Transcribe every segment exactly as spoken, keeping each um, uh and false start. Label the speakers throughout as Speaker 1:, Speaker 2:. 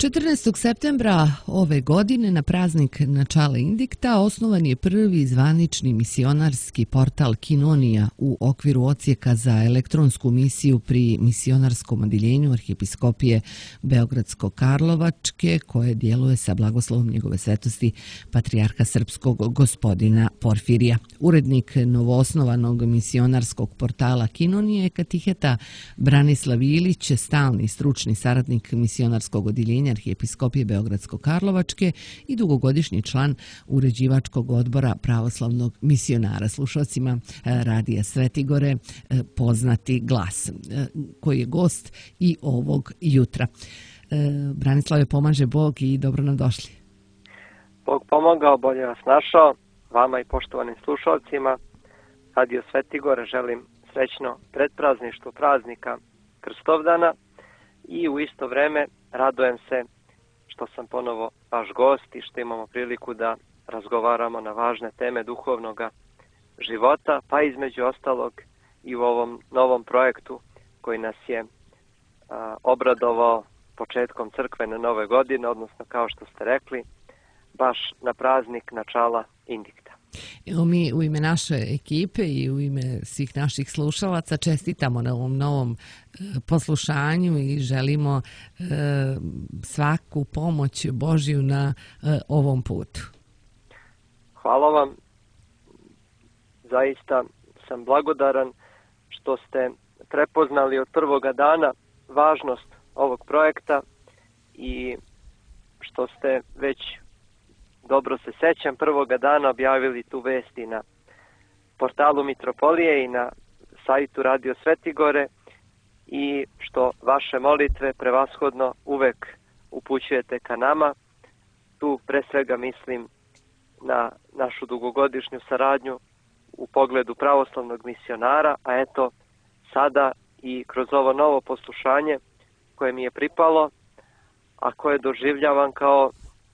Speaker 1: četrnaestog septembra ove godine na praznik Načala Indikta osnovan je prvi zvanični misionarski portal Kinonija u okviru odsjeka za elektronsku misiju pri misionarskom odjeljenju Arhijepiskopije Beogradsko-Karlovačke koje djeluje sa blagoslovom njegove svetosti Patrijarha Srpskog gospodina Porfirija. Urednik novoosnovanog misionarskog portala Kinonije je katiheta Branislav Ilić, stalni stručni saradnik misionarskog odjeljenja Arhijepiskopije Beogradsko-Karlovačke i dugogodišnji član uređivačkog odbora pravoslavnog misionara. Slušalcima Radija Svetigore poznati glas, koji je gost i ovog jutra. Branislave, pomaže Bog i dobro nam došli.
Speaker 2: Bog pomogao, bolje vas našao, vama i poštovanim slušalcima. Radio Svetigore želim srećno predprazništvo praznika Krstovdana i u isto vreme radujem se što sam ponovo vaš gost i što imamo priliku da razgovaramo na važne teme duhovnog života, pa između ostalog i u ovom novom projektu koji nas je a, obradovao početkom crkvene nove godine, odnosno kao što ste rekli, baš na praznik Načala Indikta.
Speaker 1: Evo mi u ime naše ekipe i u ime svih naših slušalaca čestitamo na ovom novom poslušanju i želimo e, svaku pomoć Božju na e, ovom putu.
Speaker 2: Hvala vam. Zaista sam blagodaran što ste prepoznali od prvoga dana važnost ovog projekta i što ste već, dobro se sećam, prvoga dana objavili tu vesti na portalu Mitropolije i na sajtu Radio Svetigore i što vaše molitve prevashodno uvek upućujete ka nama. Tu pre svega mislim na našu dugogodišnju saradnju u pogledu pravoslavnog misionara, a eto sada i kroz ovo novo poslušanje koje mi je pripalo, a koje doživljavam kao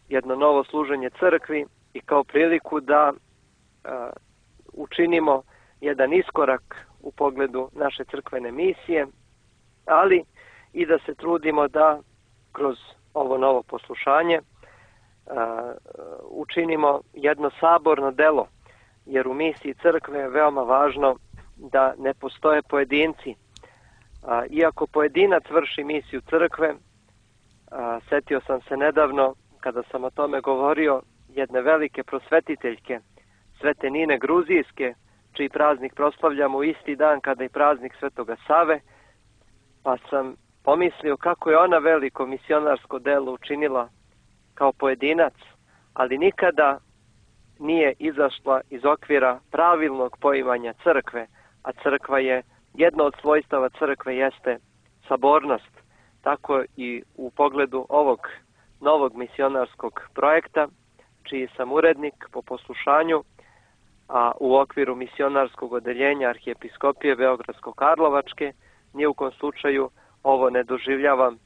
Speaker 2: jedno novo služenje crkvi i kao priliku da uh, učinimo jedan iskorak u pogledu naše crkvene misije, ali i da se trudimo da kroz ovo novo poslušanje uh, učinimo jedno saborno delo, jer u misiji crkve je veoma važno da ne postoje pojedinci. Uh, iako pojedinac vrši misiju crkve, uh, setio sam se nedavno kada sam o tome govorio jedne velike prosvetiteljke, Svete Nine Gruzijske, čiji praznik proslavljamo isti dan kada i praznik Svetoga Save, pa sam pomislio kako je ona veliko misionarsko delo učinila kao pojedinac, ali nikada nije izašla iz okvira pravilnog poimanja crkve, a crkva je, jedno od svojstava crkve jeste sabornost. Tako i u pogledu ovog novog misionarskog projekta, čiji sam urednik po poslušanju, a u okviru misionarskog odeljenja Arhijepiskopije Beogradsko-Karlovačke, ni u kom slučaju ovo ne doživljavam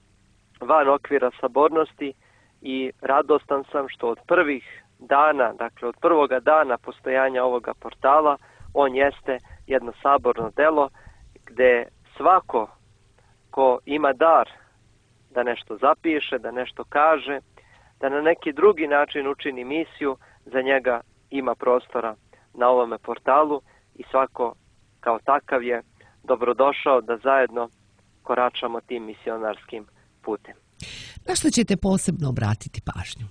Speaker 2: van okvira sabornosti i radostan sam što od prvih dana, dakle od prvoga dana postojanja ovoga portala, on jeste jedno saborno delo gde svako ko ima dar da nešto zapiše, da nešto kaže, da na neki drugi način učini misiju, za njega ima prostora na ovome portalu i svako kao takav je dobrodošao da zajedno koračamo tim misionarskim putem.
Speaker 1: Na što ćete posebno obratiti pažnju?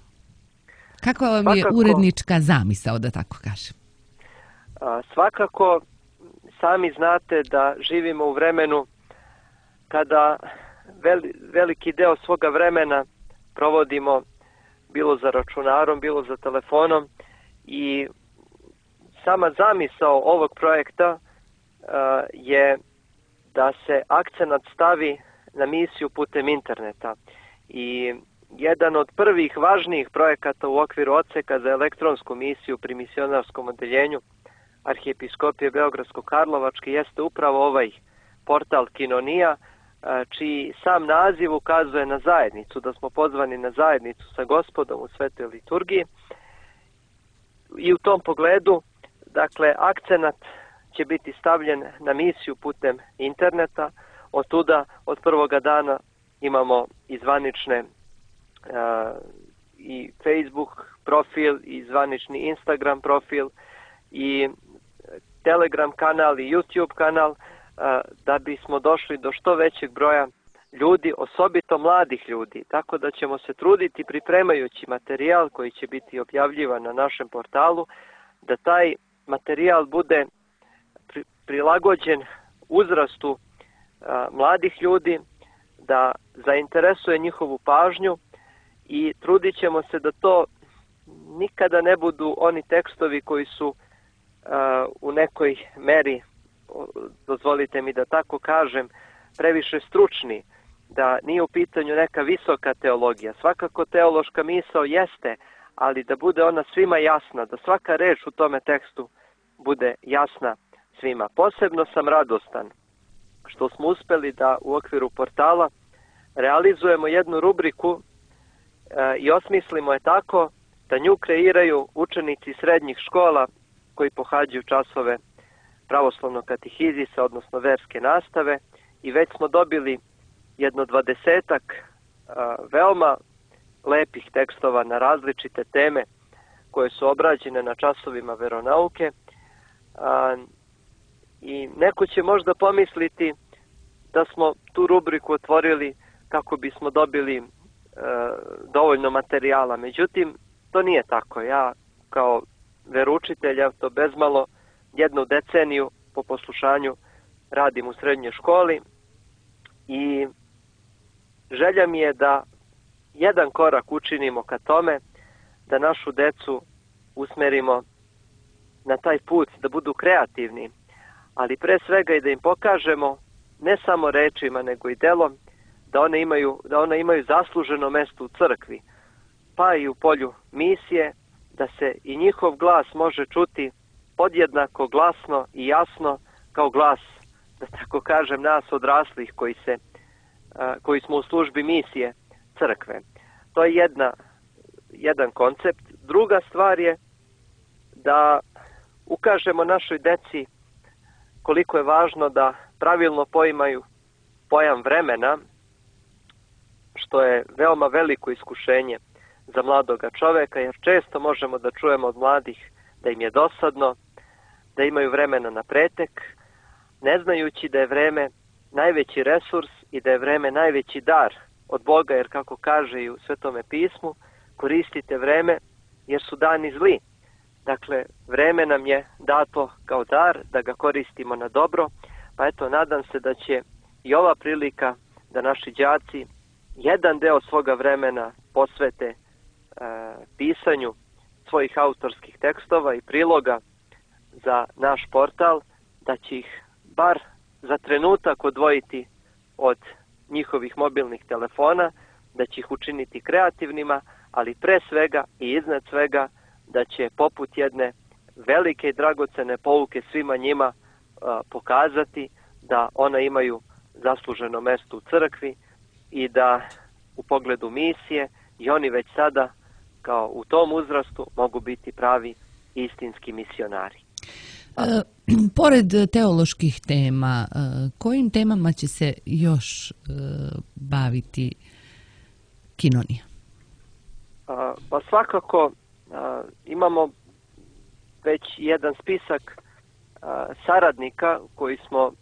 Speaker 1: Kako vam
Speaker 2: Svakako,
Speaker 1: je urednička zamisao, da tako kažem?
Speaker 2: A, svakako, sami znate da živimo u vremenu kada veliki deo svoga vremena provodimo bilo za računarom, bilo za telefonom i sama zamisao ovog projekta uh, je da se akcenat stavi na misiju putem interneta. I jedan od prvih važnijih projekata u okviru odseka za elektronsku misiju pri misionarskom odeljenju Arhijepiskopije Beogradsko-Karlovačke jeste upravo ovaj portal Kinonija, čiji sam naziv ukazuje na zajednicu, da smo pozvani na zajednicu sa Gospodom u svetoj liturgiji. I u tom pogledu, dakle, akcenat će biti stavljen na misiju putem interneta. Od tuda, od prvoga dana imamo i zvanične i Facebook profil i zvanični Instagram profil i Telegram kanal i YouTube kanal, da bismo došli do što većeg broja ljudi, osobito mladih ljudi. Tako da ćemo se truditi pripremajući materijal koji će biti objavljivan na našem portalu, da taj materijal bude prilagođen uzrastu mladih ljudi, da zainteresuje njihovu pažnju i trudit ćemo se da to nikada ne budu oni tekstovi koji su uh, u nekoj meri, dozvolite mi da tako kažem, previše stručni, da nije u pitanju neka visoka teologija. Svakako teološka misao jeste, ali da bude ona svima jasna, da svaka reč u tome tekstu bude jasna svima. Posebno sam radostan što smo uspeli da u okviru portala realizujemo jednu rubriku e, i osmislimo je tako da nju kreiraju učenici srednjih škola koji pohađaju časove pravoslavnog katehizisa, odnosno verske nastave, i već smo dobili jedno dvadesetak a, veoma lepih tekstova na različite teme koje su obrađene na časovima veronauke. A, I neko će možda pomisliti da smo tu rubriku otvorili kako bismo dobili e, dovoljno materijala. Međutim, to nije tako. Ja kao veroučitelj, ja to bezmalo jednu deceniju po poslušanju radim u srednjoj školi i želja mi je da jedan korak učinimo ka tome, da našu decu usmerimo na taj put, da budu kreativni, ali pre svega i da im pokažemo ne samo rečima nego i delom da one imaju, da one imaju zasluženo mesto u crkvi, pa i u polju misije, da se i njihov glas može čuti podjednako glasno i jasno kao glas, da tako kažem, nas odraslih koji se koji smo u službi misije crkve. To je jedna, jedan koncept. Druga stvar je da ukažemo našoj deci koliko je važno da pravilno poimaju pojam vremena, što je veoma veliko iskušenje za mladoga čoveka, jer često možemo da čujemo od mladih da im je dosadno, da imaju vremena na pretek, ne znajući da je vreme najveći resurs i da je vreme najveći dar od Boga, jer kako kaže i u Svetome pismu, koristite vreme jer su dani zli. Dakle, vreme nam je dato kao dar da ga koristimo na dobro, pa eto, nadam se da će i ova prilika da naši đaci jedan deo svoga vremena posvete e, pisanju svojih autorskih tekstova i priloga za naš portal, da će ih bar za trenutak odvojiti od njihovih mobilnih telefona, da će ih učiniti kreativnima, ali pre svega i iznad svega da će poput jedne velike i dragocene pouke svima njima a, pokazati da ona imaju zasluženo mesto u crkvi i da u pogledu misije i oni već sada kao u tom uzrastu mogu biti pravi istinski misionari.
Speaker 1: E, pored teoloških tema, e, kojim temama će se još e, baviti Kinonija?
Speaker 2: A, pa svakako a, imamo već jedan spisak a, saradnika koji smo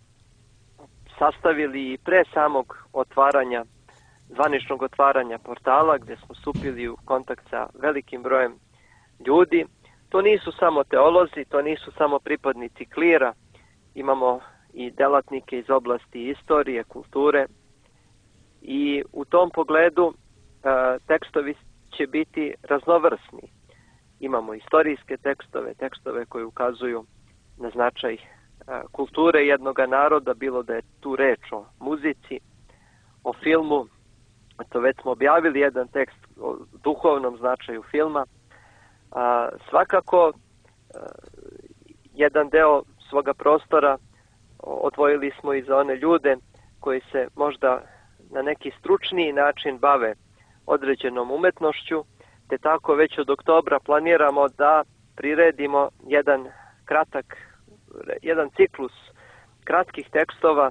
Speaker 2: sastavili pre samog otvaranja, zvaničnog otvaranja portala, gdje smo stupili u kontakt sa velikim brojem ljudi. To nisu samo teolozi, to nisu samo pripadnici klira, imamo i delatnike iz oblasti istorije, kulture i u tom pogledu e, tekstovi će biti raznovrsni. Imamo istorijske tekstove, tekstove koji ukazuju na značaj e, kulture jednog naroda, bilo da je tu reč o muzici, o filmu. To već smo objavili jedan tekst o duhovnom značaju filma. A, svakako, a, jedan deo svoga prostora odvojili smo i za one ljude koji se možda na neki stručniji način bave određenom umetnošću, te tako već od oktobra planiramo da priredimo jedan kratak, jedan ciklus kratkih tekstova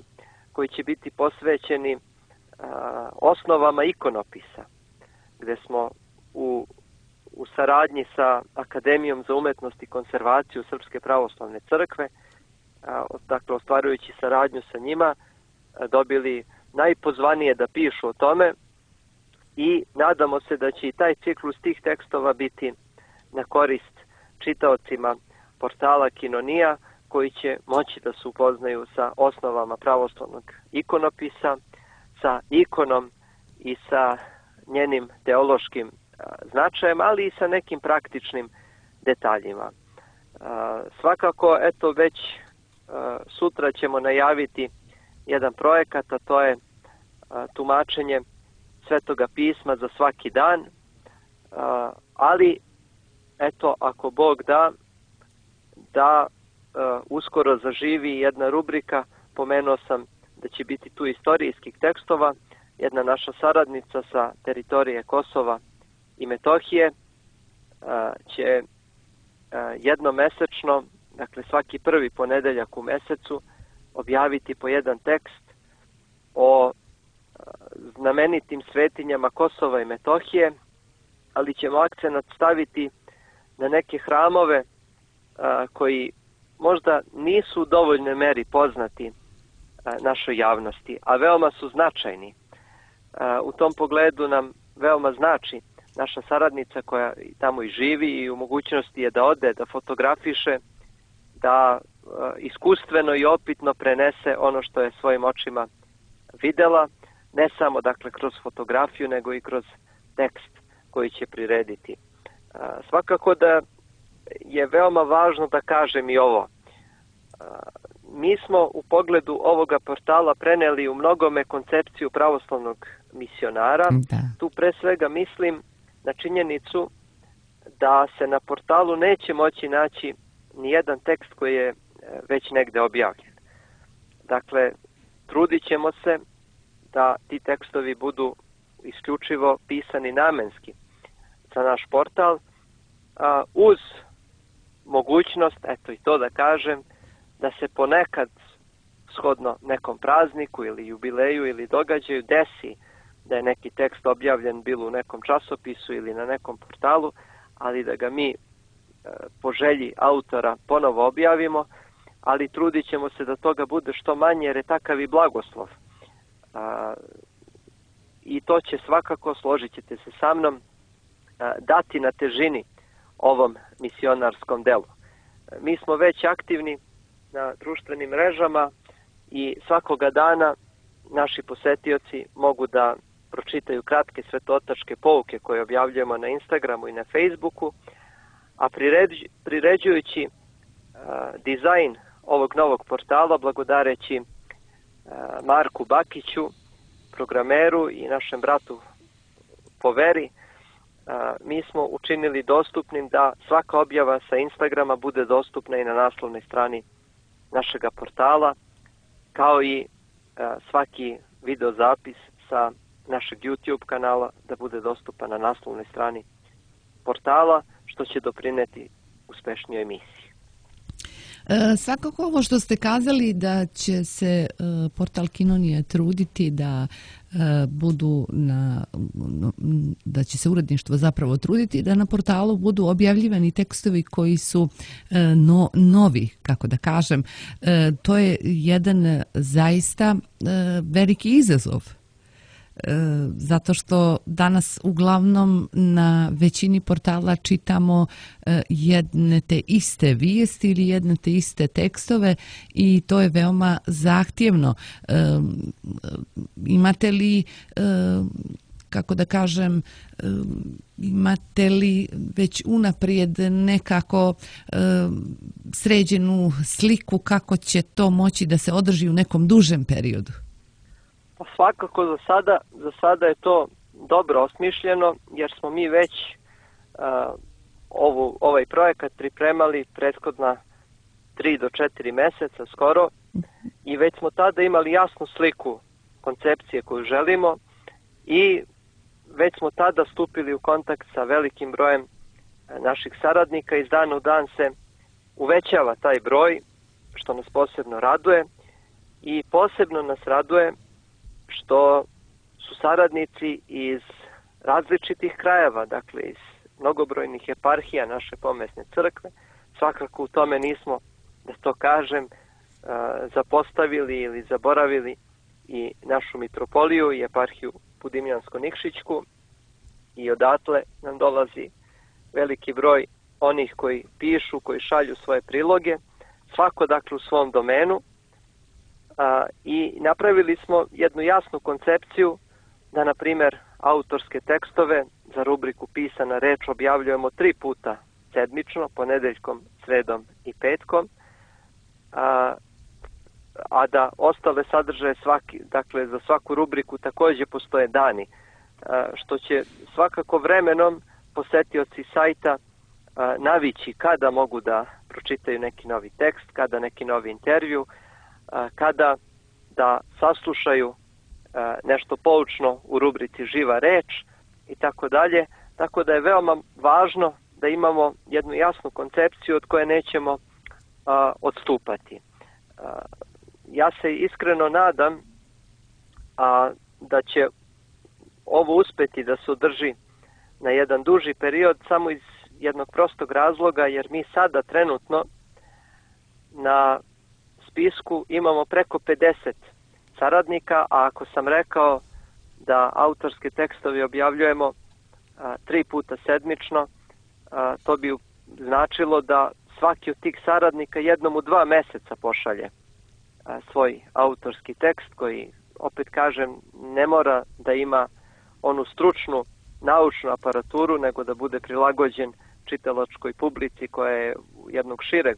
Speaker 2: koji će biti posvećeni a, osnovama ikonopisa. gde smo u, u saradnji sa Akademijom za umetnost i konzervaciju Srpske pravoslavne crkve, dakle ostvarujući saradnju sa njima, dobili najpozvanije da pišu o tome i nadamo se da će i taj ciklus tih tekstova biti na korist čitaocima portala Kinonija, koji će moći da se upoznaju sa osnovama pravoslavnog ikonopisa, sa ikonom i sa njenim teološkim značajem, ali i sa nekim praktičnim detaljima. Svakako, eto, već sutra ćemo najaviti jedan projekat, a to je tumačenje Svetoga pisma za svaki dan, ali eto, ako Bog da, da uskoro zaživi jedna rubrika, pomenuo sam da će biti tu istorijskih tekstova, jedna naša saradnica sa teritorije Kosova i Metohije će jednomesečno, dakle svaki prvi ponedeljak u mesecu, objaviti po jedan tekst o znamenitim svetinjama Kosova i Metohije, ali ćemo akcenat staviti na neke hramove a, koji možda nisu u dovoljnoj meri poznati a, našoj javnosti, a veoma su značajni. A, u tom pogledu nam veoma znači naša saradnica koja tamo i živi i u mogućnosti je da ode, da fotografiše, da a, iskustveno i opitno prenese ono što je svojim očima videla, ne samo dakle kroz fotografiju, nego i kroz tekst koji će prirediti. A, svakako da je veoma važno da kažem i ovo. A, mi smo u pogledu ovoga portala preneli u mnogome koncepciju pravoslavnog misionara. Da. Tu pre svega mislim na činjenicu da se na portalu neće moći naći ni jedan tekst koji je već negde objavljen. Dakle, trudit ćemo se da ti tekstovi budu isključivo pisani namenski za naš portal, a, uz mogućnost, eto i to da kažem, da se ponekad shodno nekom prazniku ili jubileju ili događaju desi da je neki tekst objavljen bilo u nekom časopisu ili na nekom portalu, ali da ga mi e, po želji autora ponovo objavimo, ali trudit ćemo se da toga bude što manje jer je takav i blagoslov. A, i to će svakako, složit ćete se sa mnom, a, dati na težini ovom misionarskom delu. A, mi smo već aktivni na društvenim mrežama i svakoga dana naši posetioci mogu da pročitaju kratke svetotačke pouke koje objavljujemo na Instagramu i na Facebooku, a priređ, priređujući a, dizajn ovog novog portala, blagodareći Marku Bakiću, programeru i našem bratu po veri, mi smo učinili dostupnim da svaka objava sa Instagrama bude dostupna i na naslovnoj strani našega portala, kao i svaki videozapis sa našeg YouTube kanala da bude dostupan na naslovnoj strani portala, što će doprineti uspešnijoj emisiji.
Speaker 1: E, svakako ovo što ste kazali da će se e, portal Kinonija truditi da e, budu na, da će se uredništvo zapravo truditi da na portalu budu objavljivani tekstovi koji su e, no, novi, kako da kažem. E, to je jedan zaista e, veliki izazov. Zato što danas uglavnom na većini portala čitamo jedne te iste vijesti ili jedne te iste tekstove i to je veoma zahtjevno. Imate li, kako da kažem, imate li već unaprijed nekako sređenu sliku kako će to moći da se održi u nekom dužem periodu?
Speaker 2: Pa svakako za sada, za sada je to dobro osmišljeno jer smo mi već uh, ovu, ovaj projekat pripremali prethodna tri do četiri meseca skoro i već smo tada imali jasnu sliku koncepcije koju želimo i već smo tada stupili u kontakt sa velikim brojem naših saradnika. Iz dana u dan se uvećava taj broj, što nas posebno raduje i posebno nas raduje što su saradnici iz različitih krajeva, dakle iz mnogobrojnih eparhija naše pomesne crkve. Svakako u tome nismo, da to kažem, zapostavili ili zaboravili i našu mitropoliju i eparhiju Budimljansko-Nikšićku, i odatle nam dolazi veliki broj onih koji pišu, koji šalju svoje priloge, svako dakle u svom domenu, a, i napravili smo jednu jasnu koncepciju da, na primjer, autorske tekstove za rubriku Pisana reč objavljujemo tri puta sedmično, ponedeljkom, sredom i petkom, a, a da ostale sadržaje svaki, dakle za svaku rubriku također postoje dani, a, što će svakako vremenom posetioci sajta a, navići kada mogu da pročitaju neki novi tekst, kada neki novi intervju, a, kada da saslušaju a, nešto poučno u rubrici Živa reč i tako dalje. Tako da je veoma važno da imamo jednu jasnu koncepciju od koje nećemo a, odstupati. A, ja se iskreno nadam a, da će ovo uspeti da se održi na jedan duži period, samo iz jednog prostog razloga, jer mi sada trenutno na spisku imamo preko pedeset saradnika, a ako sam rekao da autorske tekstove objavljujemo a, tri puta sedmično, a, to bi značilo da svaki od tih saradnika jednom u dva meseca pošalje a, svoj autorski tekst, koji, opet kažem, ne mora da ima onu stručnu naučnu aparaturu, nego da bude prilagođen čitalačkoj publici koja je jednog šireg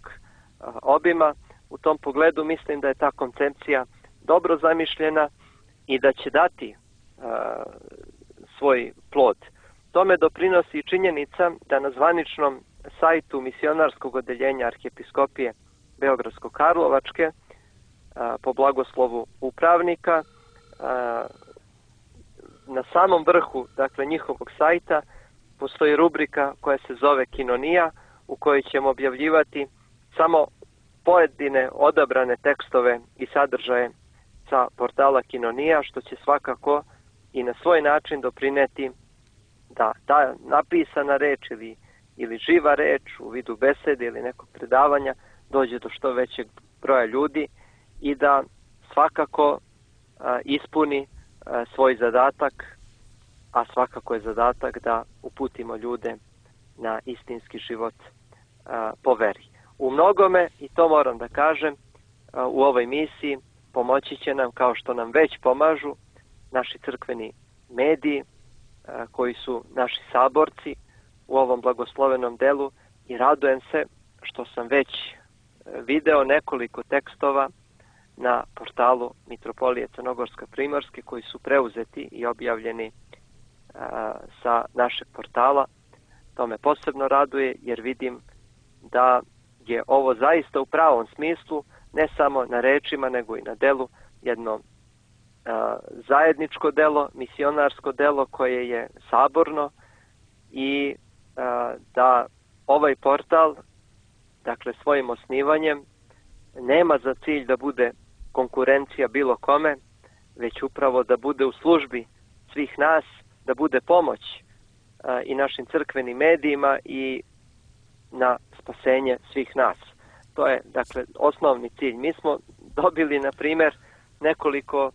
Speaker 2: a, obima. U tom pogledu mislim da je ta koncepcija dobro zamišljena i da će dati a, svoj plod. Tome doprinosi i činjenica da na zvaničnom sajtu misionarskog odeljenja Arhijepiskopije Beogradsko-Karlovačke a, po blagoslovu upravnika a, na samom vrhu, dakle, njihovog sajta postoji rubrika koja se zove Kinonija, u kojoj ćemo objavljivati samo pojedine odabrane tekstove i sadržaje sa portala Kinonija, što će svakako i na svoj način doprineti da ta napisana reč ili, ili živa reč u vidu besede ili nekog predavanja dođe do što većeg broja ljudi i da svakako a, ispuni a, svoj zadatak, a svakako je zadatak da uputimo ljude na istinski život a, po veri. U mnogome, i to moram da kažem, a, u ovoj misiji pomoći će nam, kao što nam već pomažu, naši crkveni mediji, a, koji su naši saborci u ovom blagoslovenom delu, i radujem se što sam već video nekoliko tekstova na portalu Mitropolije Crnogorsko-Primorske koji su preuzeti i objavljeni a, sa našeg portala. To me posebno raduje, jer vidim da je ovo zaista u pravom smislu, ne samo na rečima nego i na delu, jedno a, zajedničko delo, misionarsko delo koje je saborno, i a, da ovaj portal, dakle, svojim osnivanjem nema za cilj da bude konkurencija bilo kome, već upravo da bude u službi svih nas, da bude pomoć a, i našim crkvenim medijima i na spasenje svih nas. To je, dakle, osnovni cilj. Mi smo dobili, na primjer, nekoliko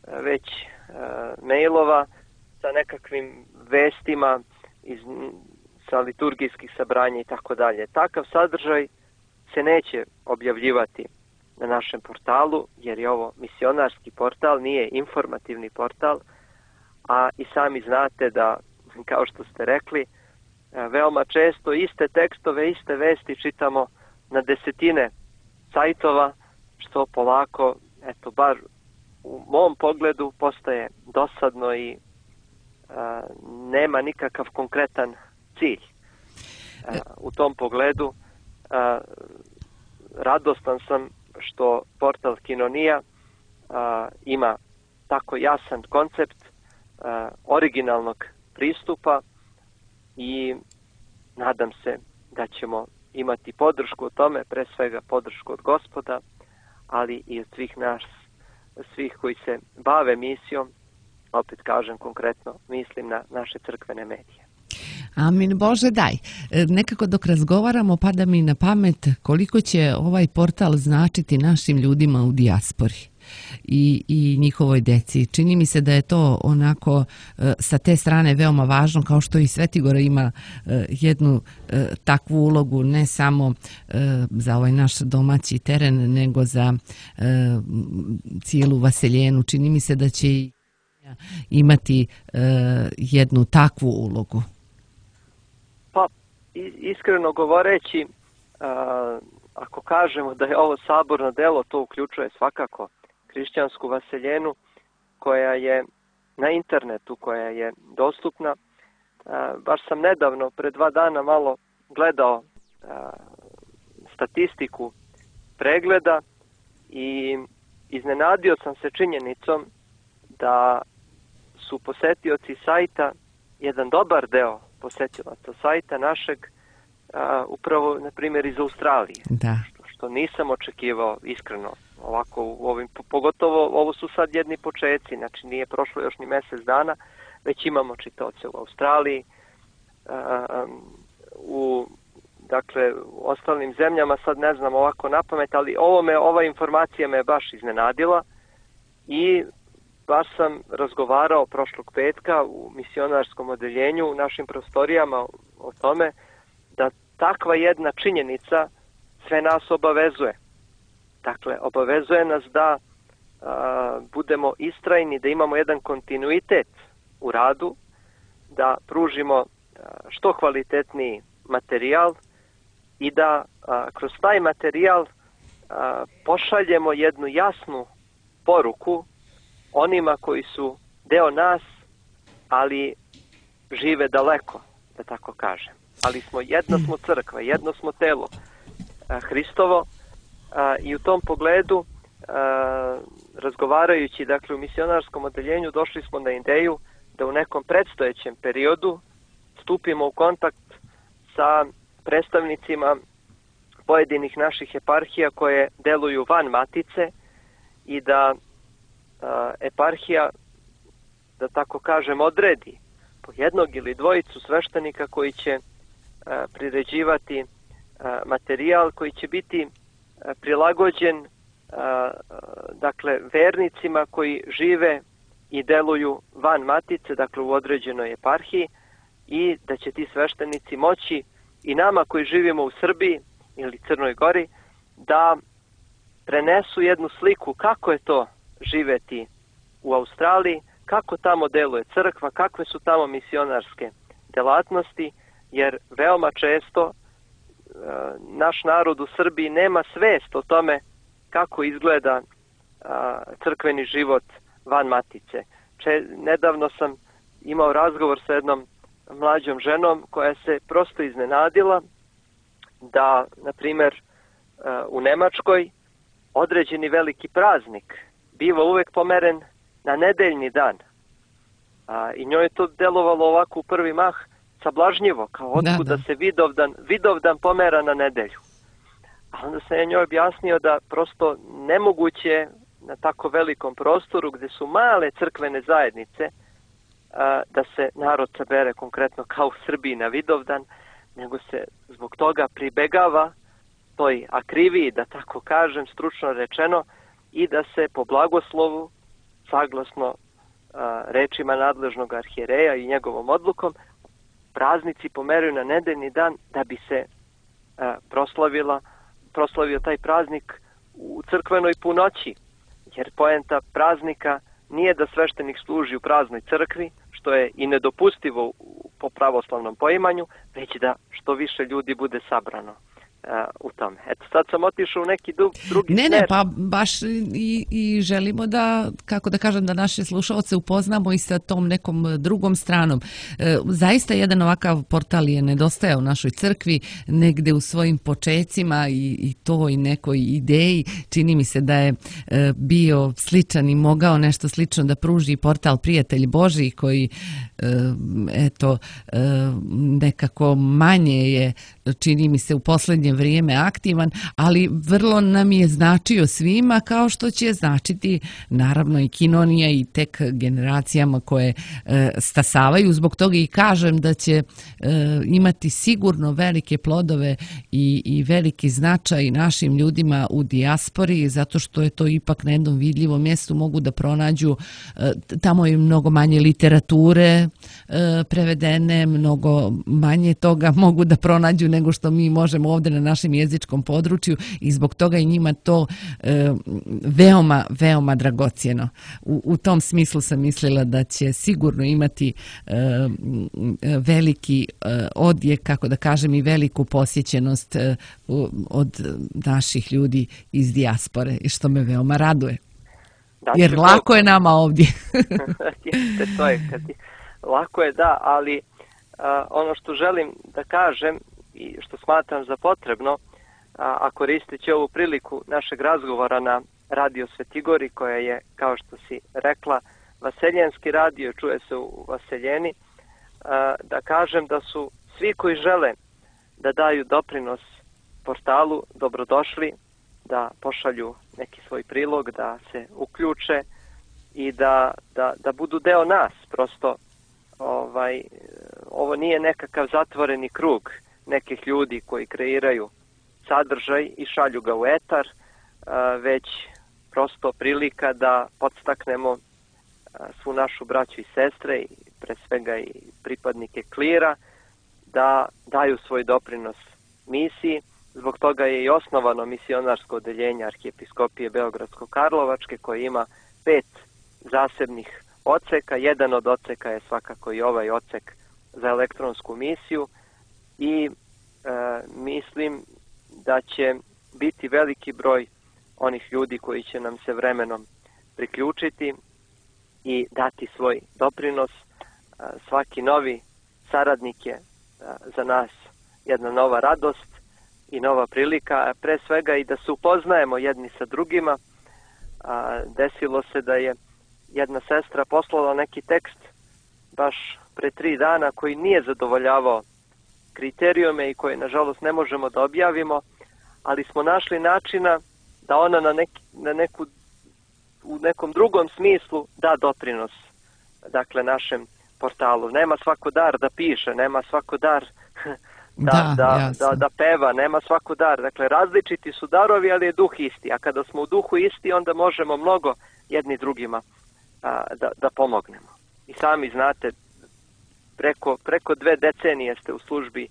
Speaker 2: a, već a, mailova sa nekakvim vestima iz, sa liturgijskih sabranja i tako dalje. Takav sadržaj se neće objavljivati na našem portalu, jer je ovo misionarski portal, nije informativni portal, a i sami znate da, kao što ste rekli, veoma često iste tekstove, iste vesti čitamo na desetine sajtova, što polako, eto, bar u mom pogledu postaje dosadno i a, nema nikakav konkretan cilj. A, u tom pogledu a, radostan sam što portal Kinonija a, ima tako jasan koncept a, originalnog pristupa, i nadam se da ćemo imati podršku o tome, pre svega podršku od Gospoda, ali i od svih nas, svih koji se bave misijom, opet kažem konkretno, mislim na naše crkvene medije.
Speaker 1: Amin Bože, daj. Nekako dok razgovaramo pada mi na pamet koliko će ovaj portal značiti našim ljudima u dijaspori i, i njihovoj deci. Čini mi se da je to onako sa te strane veoma važno, kao što i Svetigora ima jednu takvu ulogu, ne samo za ovaj naš domaći teren, nego za cijelu Vaseljenu. Čini mi se da će i imati jednu takvu ulogu.
Speaker 2: Pa, iskreno govoreći, ako kažemo da je ovo saborno delo, to uključuje svakako hrišćansku Vaseljenu koja je na internetu, koja je dostupna. Baš sam nedavno, pre dva dana, malo gledao statistiku pregleda i iznenadio sam se činjenicom da su posetioci sajta, jedan dobar deo posetilaca sajta našeg, a, upravo, na primjer, iz Australije.
Speaker 1: Da.
Speaker 2: Što, što nisam očekivao, iskreno. Ovako, u ovim, pogotovo, ovo su sad jedni početci, znači nije prošlo još ni mjesec dana, već imamo čitaoce u Australiji, a, u, dakle, u ostalim zemljama, sad ne znam ovako na pamet, ali ovo me, ova informacija me baš iznenadila i baš sam razgovarao prošlog petka u misionarskom odeljenju u našim prostorijama o tome da takva jedna činjenica sve nas obavezuje. Dakle, obavezuje nas da a, budemo istrajni, da imamo jedan kontinuitet u radu, da pružimo a, što kvalitetniji materijal i da a, kroz taj materijal a, pošaljemo jednu jasnu poruku onima koji su deo nas, ali žive daleko, da tako kažem. Ali smo jedna smo crkva, jedno smo telo a, Hristovo a, i u tom pogledu a, razgovarajući dakle u misionarskom odeljenju došli smo na ideju da u nekom predstojećem periodu stupimo u kontakt sa predstavnicima pojedinih naših eparhija koje deluju van Matice i da eparhija, da tako kažem, odredi po jednog ili dvojicu sveštenika koji će a, priređivati a, materijal koji će biti a, prilagođen a, dakle vernicima koji žive i deluju van Matice, dakle u određenoj eparhiji, i da će ti sveštenici moći i nama koji živimo u Srbiji ili Crnoj Gori da prenesu jednu sliku kako je to živeti u Australiji, kako tamo deluje crkva, kakve su tamo misionarske delatnosti, jer veoma često e, naš narod u Srbiji nema svest o tome kako izgleda a, crkveni život van Matice. Če, nedavno sam imao razgovor sa jednom mlađom ženom koja se prosto iznenadila da, na primjer, e, u Nemačkoj određeni veliki praznik biva uvek pomeren na nedeljni dan. A, I njoj je to delovalo ovako u prvi mah sablažnjivo, kao otkud da, da. da se Vidovdan, Vidovdan pomera na nedelju. A onda sam ja njoj objasnio da prosto nemoguće na tako velikom prostoru gdje su male crkvene zajednice a, da se narod sabere konkretno kao u Srbiji na Vidovdan, nego se zbog toga pribegava toj akriviji, da tako kažem, stručno rečeno, i da se po blagoslovu, saglasno a, rečima nadležnog arhijereja i njegovom odlukom, praznici pomeraju na nedeljni dan da bi se a, proslavila, proslavio taj praznik u crkvenoj punoći. Jer poenta praznika nije da sveštenik služi u praznoj crkvi, što je i nedopustivo po pravoslavnom poimanju, već da što više ljudi bude sabrano u tome. Eto, sad sam otišao u neki drugi
Speaker 1: ne,
Speaker 2: smer.
Speaker 1: Ne, pa baš i, i želimo da, kako da kažem, da naše slušalce upoznamo i sa tom nekom drugom stranom. E, zaista jedan ovakav portal je nedostajao u našoj crkvi, negde u svojim počecima i, i toj nekoj ideji. Čini mi se da je e, bio sličan i mogao nešto slično da pruži portal Prijatelj Božji, koji e, eto, e, nekako manje je čini mi se u posljednje vrijeme aktivan, ali vrlo nam je značio svima, kao što će značiti naravno i Kinonija i tek generacijama koje stasavaju. Zbog toga i kažem da će imati sigurno velike plodove i, i veliki značaj našim ljudima u dijaspori, zato što je to ipak na jednom vidljivom mjestu, mogu da pronađu, tamo je mnogo manje literature prevedene, mnogo manje toga mogu da pronađu nego što mi možemo ovdje na našem jezičkom području i zbog toga i njima to veoma, veoma dragocjeno. U, u tom smislu sam mislila da će sigurno imati veliki odjek, kako da kažem, i veliku posjećenost od naših ljudi iz dijaspore, i što me veoma raduje. Znači, jer lako je nama ovdje.
Speaker 2: to je, kad je, lako je, da, ali a, ono što želim da kažem i što smatram za potrebno, a, a koristeći ovu priliku našeg razgovora na Radio Svetigori, koja je, kao što si rekla, vaseljenski radio, čuje se u Vaseljeni, a, da kažem da su svi koji žele da daju doprinos portalu dobrodošli, da pošalju neki svoj prilog, da se uključe i da, da, da budu deo nas. Prosto ovaj, ovo nije nekakav zatvoreni krug nekih ljudi koji kreiraju sadržaj i šalju ga u etar, već prosto prilika da podstaknemo svu našu braću i sestre, i pre svega i pripadnike klira, da daju svoj doprinos misiji. Zbog toga je i osnovano misionarsko odeljenje Arhijepiskopije Beogradsko-Karlovačke, koje ima pet zasebnih odseka. Jedan od odseka je svakako i ovaj odsek za elektronsku misiju i e, mislim da će biti veliki broj onih ljudi koji će nam se vremenom priključiti i dati svoj doprinos. E, svaki novi saradnik je e, za nas jedna nova radost i nova prilika, a pre svega i da se upoznajemo jedni sa drugima. A, desilo se da je jedna sestra poslala neki tekst baš pre tri dana koji nije zadovoljavao kriterijume i koje nažalost ne možemo da objavimo, ali smo našli načina da ona na, neki, na neku, u nekom drugom smislu da doprinos, dakle, našem portalu. Nema svako dar da piše, nema svako dar Da, da, da, da, da peva, nema svako dar. Dakle, različiti su darovi, ali je duh isti. A kada smo u duhu isti, onda možemo mnogo jedni drugima a, da, da pomognemo. I sami znate, preko, preko dve decenije ste u službi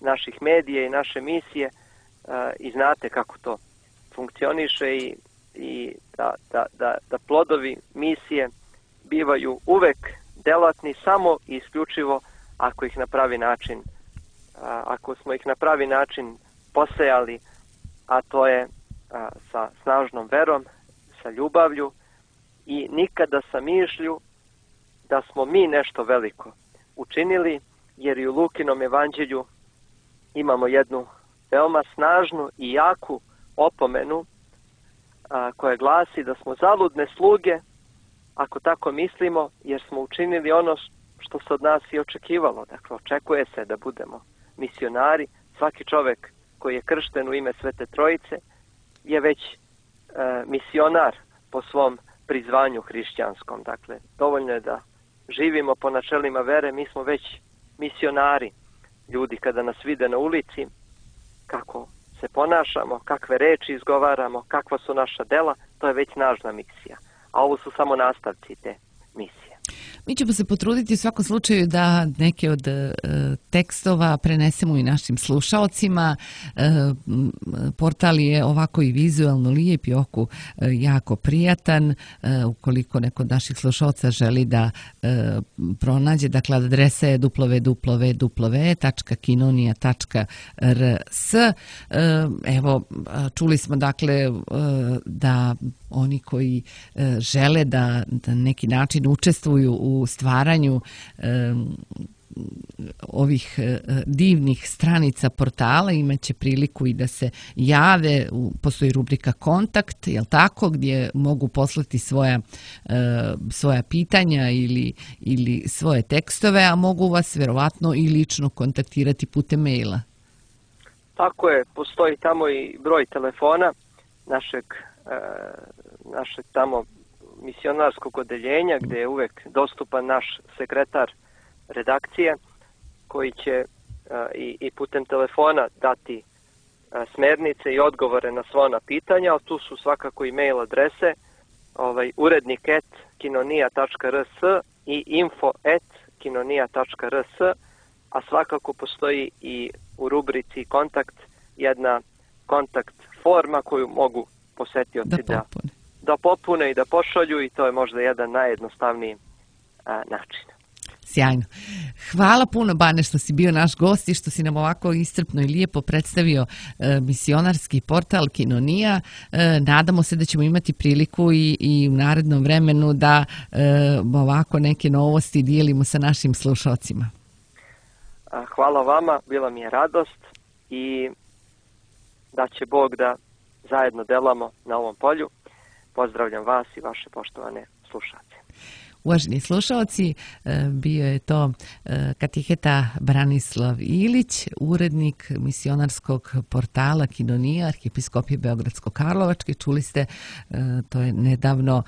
Speaker 2: naših medija i naše misije a, i znate kako to funkcioniše i, i da, da, da, da plodovi misije bivaju uvek delatni samo i isključivo ako ih na pravi način ako smo ih na pravi način posejali, a to je a, sa snažnom verom, sa ljubavlju i nikada sa mišlju da smo mi nešto veliko učinili, jer i u Lukinom evanđelju imamo jednu veoma snažnu i jaku opomenu a, koja glasi da smo zaludne sluge ako tako mislimo, jer smo učinili ono što se od nas i očekivalo. Dakle, očekuje se da budemo misionari. Svaki čovjek koji je kršten u ime Svete Trojice je već e, misionar po svom prizvanju hrišćanskom. Dakle, dovoljno je da živimo po načelima vere, mi smo već misionari. Ljudi kada nas vide na ulici, kako se ponašamo, kakve reči izgovaramo, kakva su naša dela, to je već naša misija. A ovo su samo nastavci te misije.
Speaker 1: Mi ćemo se potruditi u svakom slučaju da neke od e, tekstova prenesemo i našim slušaocima. E, portal je ovako i vizualno lijep i oku e, jako prijatan. E, ukoliko neko od naših slušaoca želi da e, pronađe, dakle adresa je w w w tačka kinonija tačka r s. E, evo, čuli smo dakle e, da oni koji e, žele da na neki način učestvuju u stvaranju e, ovih e, divnih stranica portala imaće priliku i da se jave. Postoji rubrika kontakt, jel tako, gdje mogu poslati svoja, e, svoja pitanja ili, ili svoje tekstove, a mogu vas vjerovatno i lično kontaktirati putem maila.
Speaker 2: Tako je, postoji tamo i broj telefona našeg, e, našeg tamo misionarskog odeljenja gdje je uvek dostupan naš sekretar redakcije koji će e, i, i putem telefona dati e, smernice i odgovore na sva ona pitanja, ali tu su svakako i mail adrese ovaj, urednik et kinonija tačka rs i info et kinonija tačka rs, a svakako postoji i u rubrici kontakt jedna kontakt forma koju mogu posetioci da, da, da popune i da pošalju i to je možda jedan najjednostavniji a, način.
Speaker 1: Sjajno. Hvala puno, Bane, što si bio naš gost i što si nam ovako iscrpno i lijepo predstavio e, misionarski portal Kinonija. E, nadamo se da ćemo imati priliku i, i u narednom vremenu da e, ovako neke novosti dijelimo sa našim slušalcima.
Speaker 2: Hvala vama, bila mi je radost i da će Bog da zajedno delamo na ovom polju. Pozdravljam vas i vaše poštovane slušalce.
Speaker 1: Uvaženi slušalci, bio je to katiheta Branislav Ilić, urednik misionarskog portala Kinonija, Arhijepiskopije Beogradsko-Karlovačke. Čuli ste, to je nedavno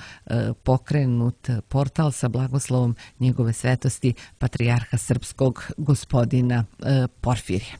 Speaker 1: pokrenut portal sa blagoslovom njegove svetosti patrijarha srpskog gospodina Porfirija.